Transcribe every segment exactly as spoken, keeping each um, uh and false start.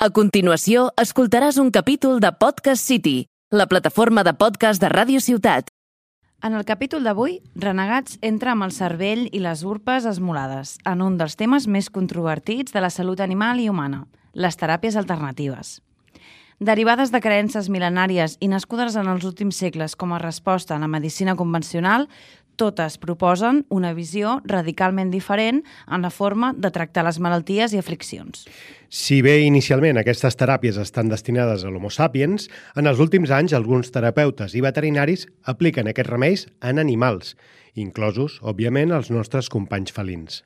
A continuació, escoltaràs un capítol de Podcast City, la plataforma de podcast de Ràdio Ciutat. En el capítol d'avui, Renegats entra amb el cervell i les urpes esmolades en un dels temes més controvertits de la salut animal i humana, les teràpies alternatives. Derivades de creences mil·lenàries i nascudes en els últims segles com a resposta a la medicina convencional, totes proposen una visió radicalment diferent en la forma de tractar les malalties i afliccions. Si bé inicialment aquestes teràpies estan destinades a l'Homo sapiens, en els últims anys alguns terapeutes i veterinaris apliquen aquests remeis en animals, inclosos, òbviament, els nostres companys felins.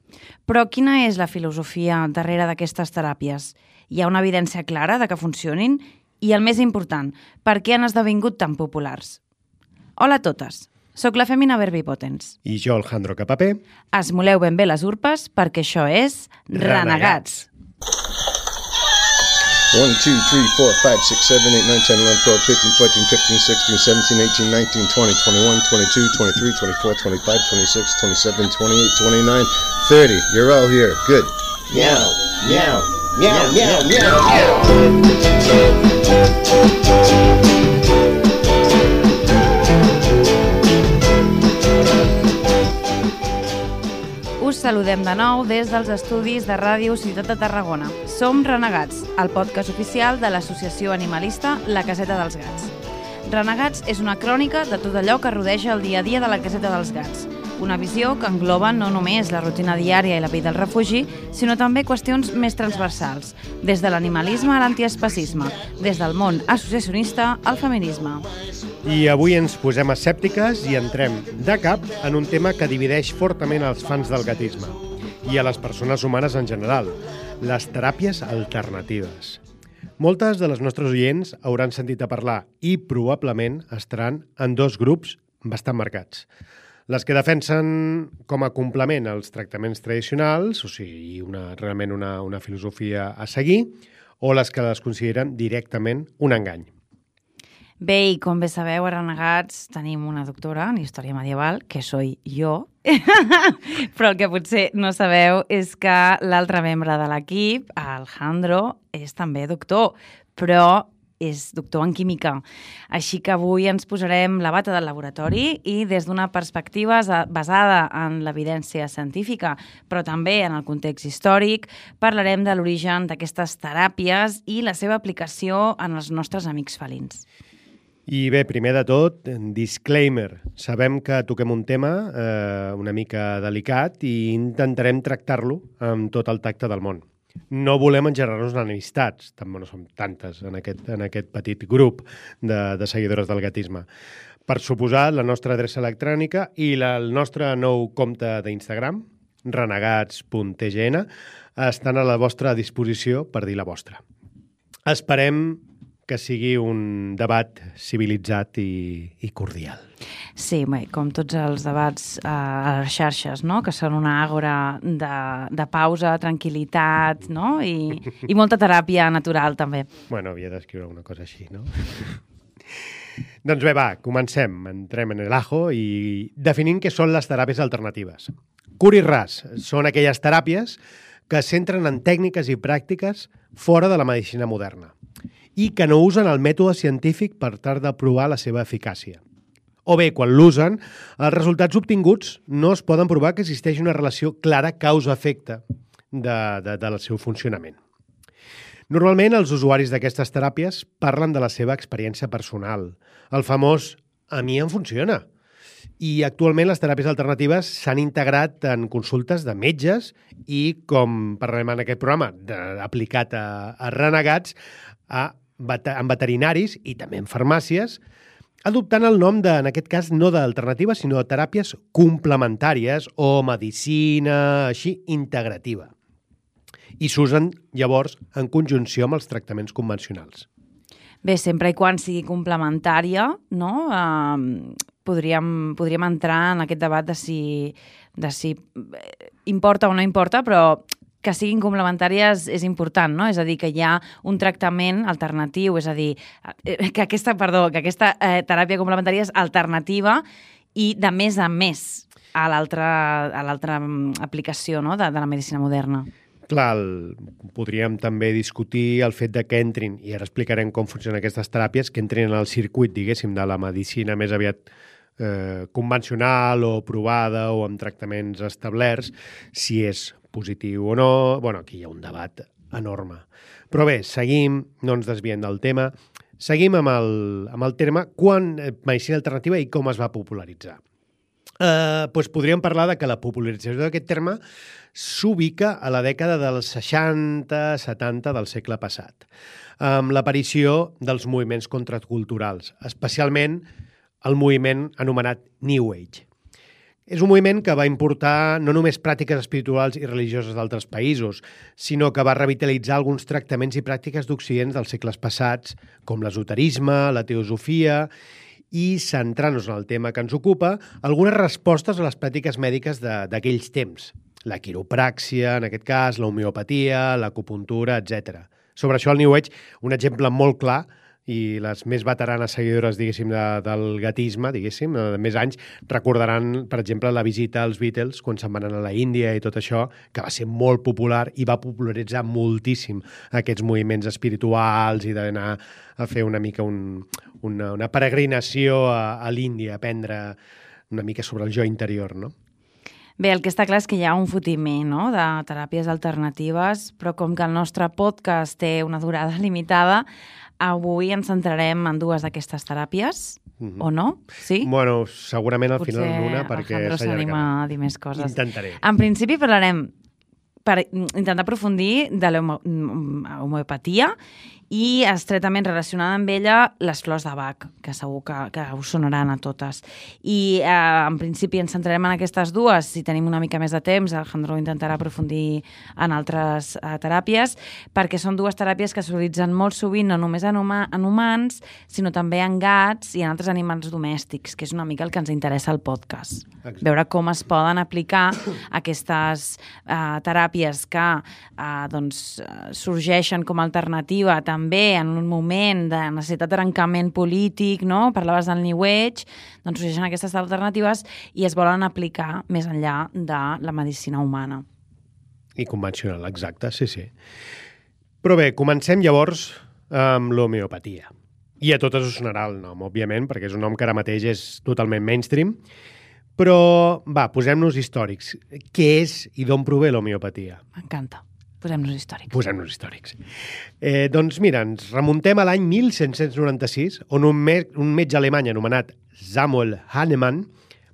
Però quina és la filosofia darrere d'aquestes teràpies? Hi ha una evidència clara de que funcionin? I el més important, per què han esdevingut tan populars? Hola a totes! Soc la Femina Verbipotens. I jo, Alejandro Capapé. Esmoleu ben bé les urpes perquè això és Renegats. one, two, three, four, five, six, seven, eight, nine, ten, eleven, twelve, thirteen, fourteen, fifteen, sixteen, seventeen, eighteen, nineteen, twenty, twenty-one, twenty-two, twenty-three, twenty-four, twenty-five, twenty-six, twenty-seven, twenty-eight, twenty-nine, thirty. You're all here. Good. Meow, meow, meow, meow, meow, meow. Us saludem de nou des dels estudis de Ràdio Ciutat de Tarragona. Som Renegats, el podcast oficial de l'associació animalista La Caseta dels Gats. Renegats és una crònica de tot allò que rodeja el dia a dia de la Caseta dels Gats. Una visió que engloba no només la rutina diària i la vida al refugi, sinó també qüestions més transversals, des de l'animalisme a l'antiespecisme, des del món associacionista al feminisme. I avui ens posem escèptiques i entrem de cap en un tema que divideix fortament els fans del gatisme i a les persones humanes en general, les teràpies alternatives. Moltes de les nostres oients hauran sentit a parlar i probablement estaran en dos grups bastant marcats. Les que defensen com a complement als tractaments tradicionals, o sigui, una, realment una, una filosofia a seguir, o les que les consideren directament un engany. Bé, i com bé sabeu, a Renegats tenim una doctora en història medieval, que soy jo, però el que potser no sabeu és que l'altre membre de l'equip, Alejandro, és també doctor, però és doctor en química. Així que avui ens posarem la bata del laboratori i des d'una perspectiva basada en l'evidència científica, però també en el context històric, parlarem de l'origen d'aquestes teràpies i la seva aplicació en els nostres amics felins. I bé, primer de tot, disclaimer. Sabem que toquem un tema eh, una mica delicat i intentarem tractar-lo amb tot el tacte del món. No volem engerar-nos en enemistats, també no som tantes en aquest, en aquest petit grup de, de seguidores del gatisme. Per suposar, la nostra adreça electrònica i la, el nostre nou compte d'Instagram, renegats punt t g n, estan a la vostra disposició per dir la vostra. Esperem que sigui un debat civilitzat i, i cordial. Sí, bé, com tots els debats eh, a les xarxes, no? Que són una àgora de, de pausa, tranquil·litat, no? I, i molta teràpia natural, també. Bueno, havia d'escriure una cosa així, no? Doncs bé, va, comencem. Entrem en el ajo i definim què són les teràpies alternatives. Curt i ras, són aquelles teràpies que es centren en tècniques i pràctiques fora de la medicina moderna i que no usen el mètode científic per tal de provar la seva eficàcia. O bé, quan l'usen, els resultats obtinguts no es poden provar que existeix una relació clara causa-efecte de, de, del seu funcionament. Normalment, els usuaris d'aquestes teràpies parlen de la seva experiència personal, el famós «a mi em funciona». I actualment les teràpies alternatives s'han integrat en consultes de metges i, com parlem en aquest programa, de, aplicat a, a Renegats, a en veterinaris i també en farmàcies, adoptant el nom, de, en aquest cas, no d'alternativa, sinó de teràpies complementàries o medicina, així, integrativa. I s'usen, llavors, en conjunció amb els tractaments convencionals. Bé, sempre i quan sigui complementària, no? Uh, podríem, podríem entrar en aquest debat de si, de si importa o no importa, però que siguin complementàries és important, no? És a dir, que hi ha un tractament alternatiu, és a dir, que aquesta, perdó, que aquesta eh, teràpia complementària és alternativa i de més a més a l'altra a l'altra aplicació, no? de, de la medicina moderna. Clar, el, podríem també discutir el fet de que entrin, i ara explicarem com funcionen aquestes teràpies, que entrin en el circuit, diguéssim, de la medicina més aviat eh, convencional o provada o amb tractaments establerts, si és positiu o no. Bueno, aquí hi ha un debat enorme. Però bé, seguim, no ens desviem del tema, seguim amb el, amb el terme quan medicina alternativa i com es va popularitzar. Eh, doncs podríem parlar de que la popularització d'aquest terme s'ubica a la dècada dels seixanta setanta del segle passat, amb l'aparició dels moviments contraculturals, especialment el moviment anomenat New Age. És un moviment que va importar no només pràctiques espirituals i religioses d'altres països, sinó que va revitalitzar alguns tractaments i pràctiques d'Occident dels segles passats, com l'esoterisme, la teosofia, i, centrant-nos en el tema que ens ocupa, algunes respostes a les pràctiques mèdiques d'aquells temps. La quiropràxia, en aquest cas, la homeopatia, l'acupuntura, etcètera. Sobre això, el New Age, un exemple molt clar, i les més veteranes seguidores, diguéssim, de, del gatisme, diguéssim, de més anys, recordaran, per exemple, la visita als Beatles quan se'n van anar a la Índia i tot això, que va ser molt popular i va popularitzar moltíssim aquests moviments espirituals i d'anar a fer una mica un, una, una peregrinació a, a l'Índia, a aprendre una mica sobre el jo interior, no? Bé, el que està clar és que hi ha un fotiment, no?, de teràpies alternatives, però com que el nostre podcast té una durada limitada, avui ens centrarem en dues d'aquestes teràpies, mm-hmm. o no? Sí? Bueno, segurament al Potser final en una, perquè Alejandro s'anima a dir més coses. Intentaré. En principi parlarem per intentar aprofundir de l'homeopatia i estretament relacionada amb ella les flors de Bach, que segur que, que us sonaran a totes. I eh, en principi ens centrarem en aquestes dues. Si tenim una mica més de temps, Alejandro intentarà aprofundir en altres eh, teràpies, perquè són dues teràpies que s'utilitzen molt sovint, no només en, huma, en humans, sinó també en gats i en altres animals domèstics, que és una mica el que ens interessa al podcast. Exacte. Veure com es poden aplicar aquestes eh, teràpies que eh, doncs, sorgeixen com a alternativa també en un moment de necessitat de trencament polític, no? Parlaves del New Age, doncs sorgeixen aquestes alternatives i es volen aplicar més enllà de la medicina humana. I convencional, exacte, sí, sí. Però bé, comencem llavors amb l'homeopatia. I a totes us sonarà el nom, òbviament, perquè és un nom que ara mateix és totalment mainstream. Però, va, posem-nos històrics. Què és i d'on prové l'homeopatia? M'encanta. Posem-nos històrics. Posem-nos històrics. Eh, doncs mira, ens remuntem a l'any mil set-cents noranta-sis, on un, me un metge alemany anomenat Samuel Hahnemann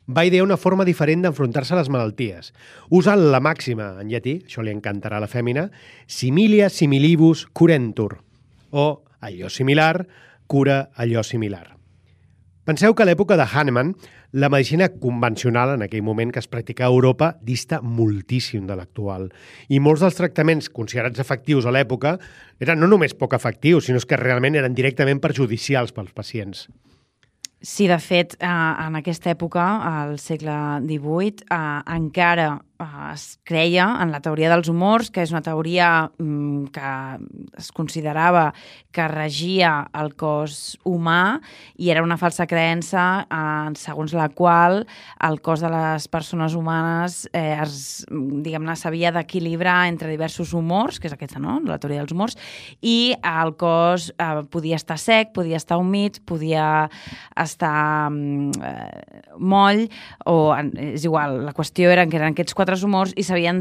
va idear una forma diferent d'enfrontar-se a les malalties, usant la màxima en llatí, això li encantarà a la fèmina, similia similibus curentur, o allò similar cura allò similar. Penseu que a l'època de Hahnemann, la medicina convencional, en aquell moment que es practicava a Europa, dista moltíssim de l'actual. I molts dels tractaments considerats efectius a l'època eren no només poc efectius, sinó que realment eren directament perjudicials pels pacients. Sí, de fet, eh, en aquesta època, al segle divuit, eh, encara eh, es creia en la teoria dels humors, que és una teoria mm, que es considerava que regia el cos humà i era una falsa creença eh, segons la qual el cos de les persones humanes eh, es, diguem-ne, s'havia d'equilibrar entre diversos humors, que és aquesta, no?, la teoria dels humors, i el cos eh, podia estar sec, podia estar humit, podia estar eh, moll, o és igual, la qüestió era que eren aquests quatre humors i s'havien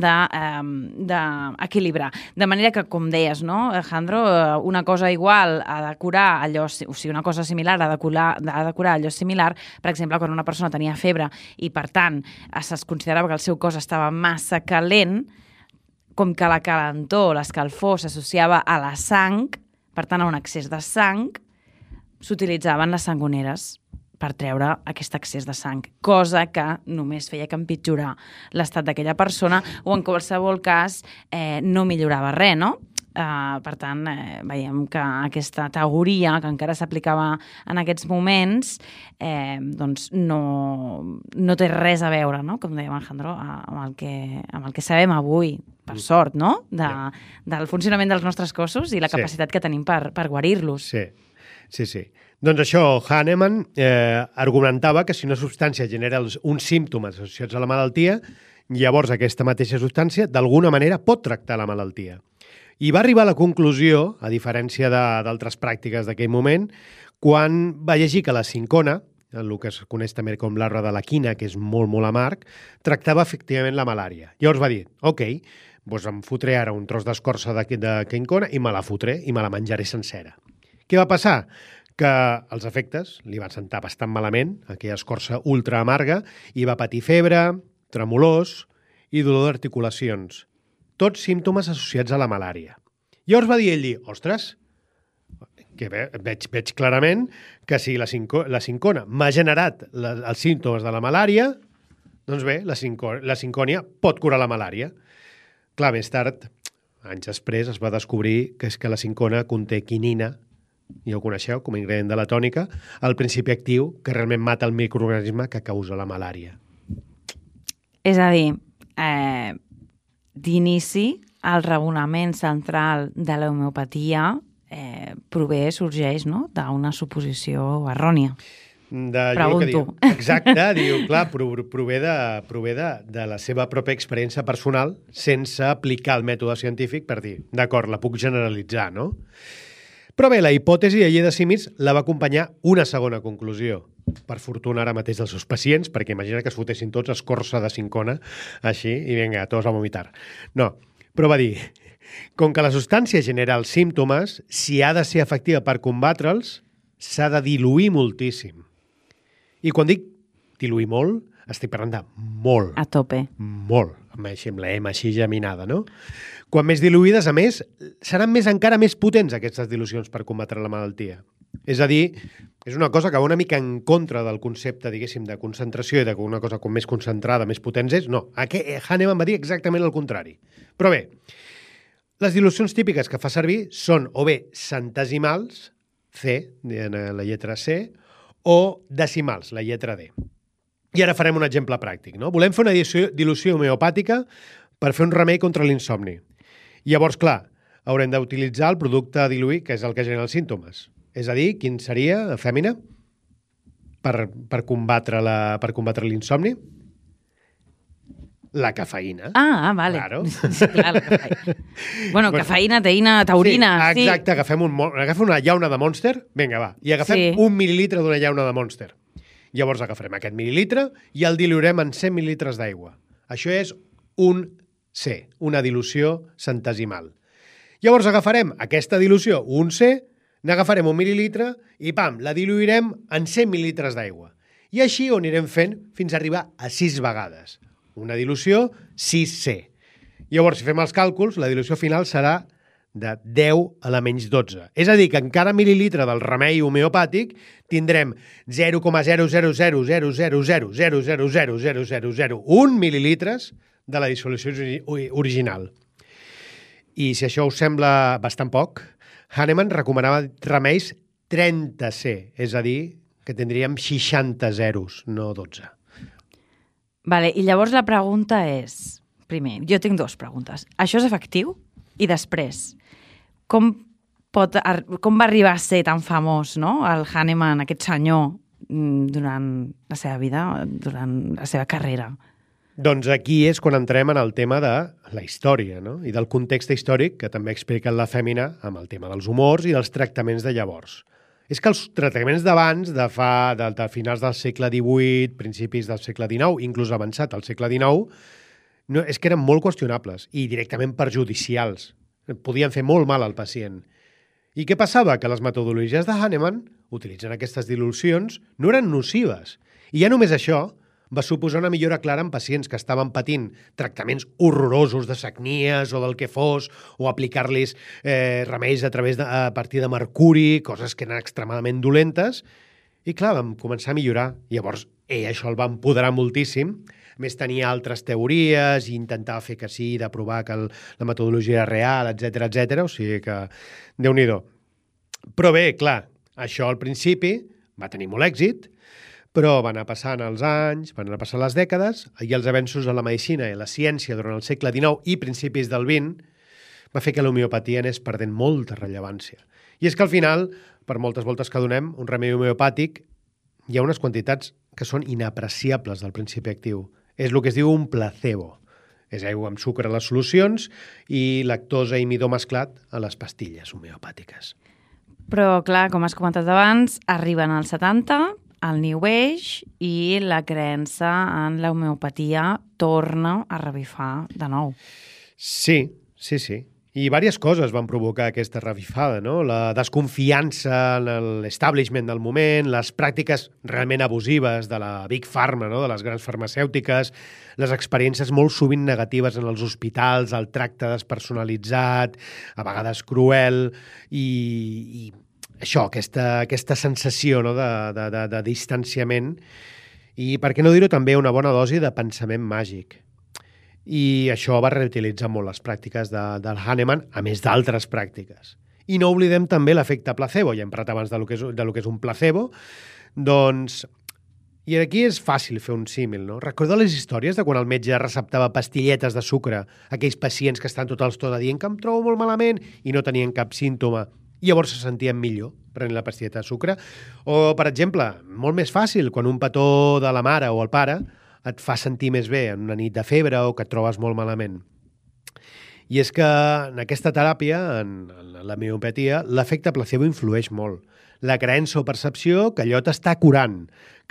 d'equilibrar. De, de manera que, com deies, no, Alejandro, una cosa igual ha de curar allò, o sigui, una cosa similar ha de curar, ha de curar allò similar. Per exemple, quan una persona tenia febre i, per tant, es considerava que el seu cos estava massa calent, com que la calentor, l'escalfor, s'associava a la sang, per tant, a un excés de sang, s'utilitzaven les sangoneres per treure aquest excés de sang, cosa que només feia que empitjorar l'estat d'aquella persona o en qualsevol cas eh, no millorava res, no? Uh, per tant, eh, veiem que aquesta teoria que encara s'aplicava en aquests moments eh, doncs no, no té res a veure, no?, com dèiem Alejandro, amb el que, amb el que sabem avui, per sort, no?, de, del funcionament dels nostres cossos i la capacitat sí. que tenim per, per guarir-los. Sí, sí, sí. Doncs això, Hahnemann eh, argumentava que si una substància genera els, uns símptomes associats a la malaltia, Llavors, aquesta mateixa substància, d'alguna manera, pot tractar la malaltia. I va arribar a la conclusió, a diferència d'altres pràctiques d'aquell moment, quan va llegir que la sincona, el que es coneix també com l'arbre de la quina, que és molt, molt amarg, tractava efectivament la malària. Llavors va dir, ok, doncs em fotré ara un tros d'escorça de, de quincona i me la fotré i me la menjaré sencera. Què va passar? Que els efectes li van sentar bastant malament, aquella escorça ultra amarga, i va patir febre, tremolors i dolor d'articulacions. Tots símptomes associats a la malària. Llavors va dir ell, ostres, que ve, veig, veig clarament que si la, cinco, la sincona m'ha generat la, els símptomes de la malària, doncs bé, la, cinco, la sincònia pot curar la malària. Clar, més tard, anys després, es va descobrir que és que la sincona conté quinina, i ho coneixeu com a ingredient de la tònica, el principi actiu que realment mata el microorganisme que causa la malària. És a dir, eh, d'inici, el raonament central de l'homeopatia eh, prové, sorgeix, no?, d'una suposició errònia. De, Pregunto. Diu, exacte, diu, clar, prové, de, prové de, de la seva pròpia experiència personal sense aplicar el mètode científic per dir, d'acord, la puc generalitzar, no? Però bé, la hipòtesi de llei de símils la va acompanyar una segona conclusió, per fortuna ara mateix dels seus pacients, perquè imagina que es fotessin tots escorça de sincona, així, i vinga, tots a vomitar. No, però va dir, com que la substància genera els símptomes, si ha de ser efectiva per combatre'ls, s'ha de diluir moltíssim. I quan dic diluir molt, estic parlant de molt. A tope. Molt, amb la M així geminada, no? Quan més diluïdes, a més, seran més encara més potents aquestes dilucions per combatre la malaltia. És a dir, és una cosa que va una mica en contra del concepte, diguéssim, de concentració i de que una cosa com més concentrada, més potents és. No, Hahnemann va dir exactament el contrari. Però bé, les dilucions típiques que fa servir són o bé centesimals, C, la lletra C, o decimals, la lletra D. I ara farem un exemple pràctic, no? Volem fer una dilució homeopàtica per fer un remei contra l'insomni. Llavors, clar, haurem d'utilitzar el producte a diluir, que és el que genera els símptomes. És a dir, quin seria, Fèmina, per, per combatre la, per combatre l'insomni? La cafeïna. Ah, vale. Claro. Sí, clar, la cafeïna. Bueno, cafeïna, teïna, taurina. Sí, exacte, sí. Agafem, un, agafem una llauna de Monster, vinga, va, i agafem sí. un mil·lilitre d'una llauna de Monster. Llavors agafarem aquest mil·lilitre i el diluirem en cent mil·lilitres d'aigua. Això és un C, una dilució centesimal. Llavors agafarem aquesta dilució, un C, n'agafarem un mil·lilitre i, pam, la diluirem en cent mil·lilitres d'aigua. I així ho anirem fent fins a arribar a sis vegades. Una dilució sis C. Llavors, si fem els càlculs, la dilució final serà de deu a la menys dotze. És a dir, que en cada mil·lilitre del remei homeopàtic tindrem zero coma zero zero zero zero zero zero zero zero zero zero zero zero un mil·lilitres de la dissolució original. I si això us sembla bastant poc, Hahnemann recomanava remeis trenta C, és a dir, que tindríem seixanta zeros, no dotze. Vale, i llavors la pregunta és, primer, jo tinc dues preguntes. Això és efectiu? I després, com, pot, com va arribar a ser tan famós, no?, el Hahnemann, aquest senyor, durant la seva vida, durant la seva carrera? Doncs aquí és quan entrem en el tema de la història, no?, i del context històric que també explica la Fèmina amb el tema dels humors i dels tractaments de llavors. És que els tractaments d'abans, de fa de, de finals del segle divuit, principis del segle dinou, inclús avançat al segle dinou, no, és que eren molt qüestionables i directament perjudicials. Podien fer molt mal al pacient. I què passava? Que les metodologies de Hahnemann, utilitzant aquestes dilucions, no eren nocives. I ja només això va suposar una millora clara en pacients que estaven patint tractaments horrorosos de sagnies o del que fos, o aplicar-los eh, remeis a, través de, a partir de mercuri, coses que eren extremadament dolentes. I clar, vam començar a millorar. Llavors, ell això el va empoderar moltíssim. A més, tenia altres teories i intentava fer que sí, de provar que el, la metodologia era real, etcètera, etcètera. O sigui que, Déu-n'hi-do. Però bé, clar, això al principi va tenir molt èxit, però van anar passant els anys, van anar passant les dècades, i els avenços en la medicina i la ciència durant el segle dinou i principis del vint va fer que l'homeopatia anés perdent molta rellevància. I és que al final, per moltes voltes que donem, un remei homeopàtic, hi ha unes quantitats que són inapreciables del principi actiu. És el que es diu un placebo. És aigua amb sucre a les solucions i lactosa i midó mesclat a les pastilles homeopàtiques. Però, clar, com has comentat abans, arriben als setanta, el New Age, i la creença en la homeopatia torna a revifar de nou. Sí, sí, sí. I diverses coses van provocar aquesta revifada, no? La desconfiança en l'establishment del moment, les pràctiques realment abusives de la Big Pharma, no? De les grans farmacèutiques, les experiències molt sovint negatives en els hospitals, el tracte despersonalitzat, a vegades cruel, i, i això, aquesta, aquesta sensació, no? de, de, de, de distanciament, i per què no dir-ho també una bona dosi de pensament màgic. I això va reutilitzar molt les pràctiques de, del Hahnemann, a més d'altres pràctiques. I no oblidem també l'efecte placebo, ja hem parlat abans de lo que és, de lo que és un placebo, doncs, i aquí és fàcil fer un símil, no? Recordeu les històries de quan el metge receptava pastilletes de sucre a aquells pacients que estan tot el tot dient que em trobo molt malament i no tenien cap símptoma, i llavors se sentien millor prenent la pastilleta de sucre? O, per exemple, molt més fàcil, quan un petó de la mare o el pare et fa sentir més bé en una nit de febre o que et trobes molt malament. I és que en aquesta teràpia, en, en la homeopatia, l'efecte placebo influeix molt. La creença o percepció que allò t'està curant,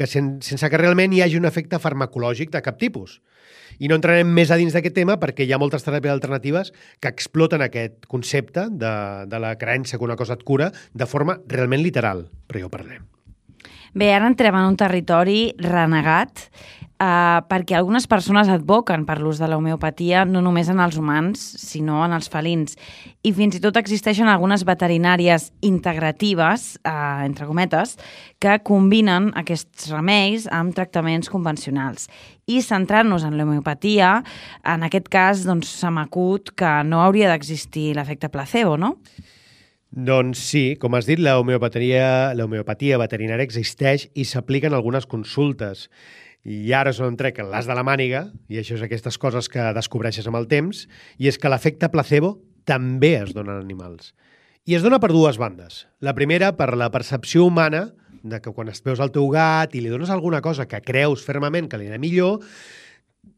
que sen, sense que realment hi hagi un efecte farmacològic de cap tipus. I no entrarem més a dins d'aquest tema perquè hi ha moltes teràpies alternatives que exploten aquest concepte de, de la creença que una cosa et cura de forma realment literal, però ja ho parlem. Bé, ara entrem en un territori renegat, eh, perquè algunes persones advoquen per l'ús de la homeopatia no només en els humans, sinó en els felins. I fins i tot existeixen algunes veterinàries integratives, eh, entre cometes, que combinen aquests remeis amb tractaments convencionals. I centrant-nos en l'homeopatia, en aquest cas, doncs, se m'acut que no hauria d'existir l'efecte placebo, no? Doncs sí, com has dit, la homeopatia, la homeopatia veterinària existeix i s'aplica en algunes consultes. I ara és on trec l'as de la màniga, i això és aquestes coses que descobreixes amb el temps, i és que l'efecte placebo també es dona en animals. I es dona per dues bandes. La primera, per la percepció humana, de que quan es veus al teu gat i li dones alguna cosa que creus fermament que li anirà millor,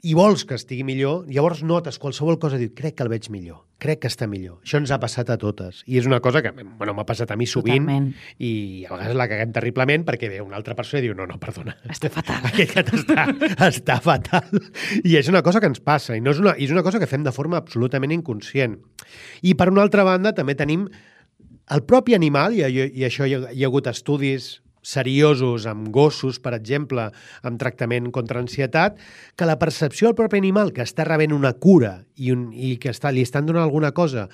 i vols que estigui millor, llavors notes qualsevol cosa i dius, crec que el veig millor, crec que està millor. Això ens ha passat a totes. I és una cosa que, bueno, m'ha passat a mi sovint. Totalment. I a vegades la caguem terriblement perquè ve una altra persona i diu, no, no, perdona. Està fatal. Aquest gat està, està fatal. I és una cosa que ens passa, i, no és una, i és una cosa que fem de forma absolutament inconscient. I per una altra banda també tenim el propi animal, i, i això hi ha, hi ha hagut estudis seriosos amb gossos, per exemple, amb tractament contra ansietat, que la percepció del propi animal que està rebent una cura i, un, i que està, li estan donant alguna cosa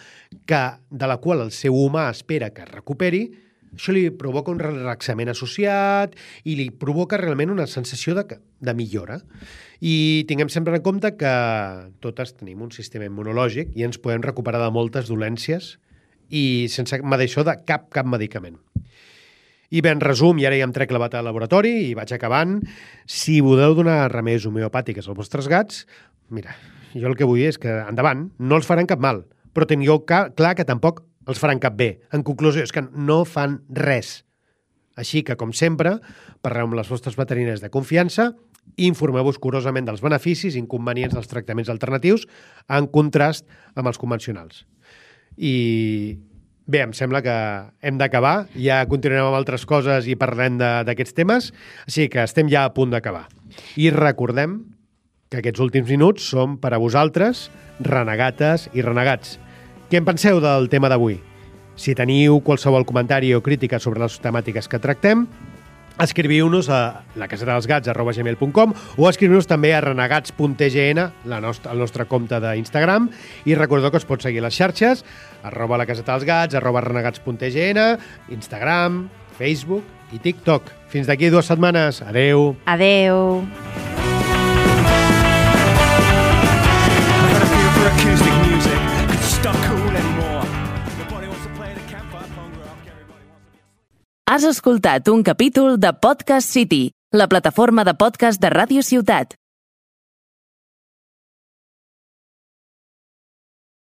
que, de la qual el seu humà espera que es recuperi, això li provoca un relaxament associat i li provoca realment una sensació de, de millora. I tinguem sempre en compte que totes tenim un sistema immunològic i ens podem recuperar de moltes dolències i sense això de cap, cap medicament. I bé, en resum, i ara ja em trec la bata al laboratori i vaig acabant, si voleu donar remeis homeopàtiques als vostres gats, mira, jo el que vull dir és que endavant, no els faran cap mal, però tingueu clar que tampoc els faran cap bé. En conclusió, és que no fan res. Així que, com sempre, parleu amb les vostres veterinàries de confiança i informeu-vos curosament dels beneficis i inconvenients dels tractaments alternatius en contrast amb els convencionals. I bé, em sembla que hem d'acabar. Ja continuarem amb altres coses i parlem d'aquests temes, així que estem ja a punt d'acabar. I recordem que aquests últims minuts són per a vosaltres, renegates i renegats. Què en penseu del tema d'avui? Si teniu qualsevol comentari o crítica sobre les temàtiques que tractem, escriviu-nos a lacasetadelsgats arroba gmail punt com o escriviu-nos també a renegats punt t g n, la nostra, el nostre compte d'Instagram, i recordeu que us pot seguir a les xarxes, arroba lacasetadelsgats, arroba renegats punt t g n, Instagram, Facebook i TikTok. Fins d'aquí dues setmanes. Adeu. Adeu. Has escoltat un capítol de Podcast City, la plataforma de podcast de Ràdio Ciutat.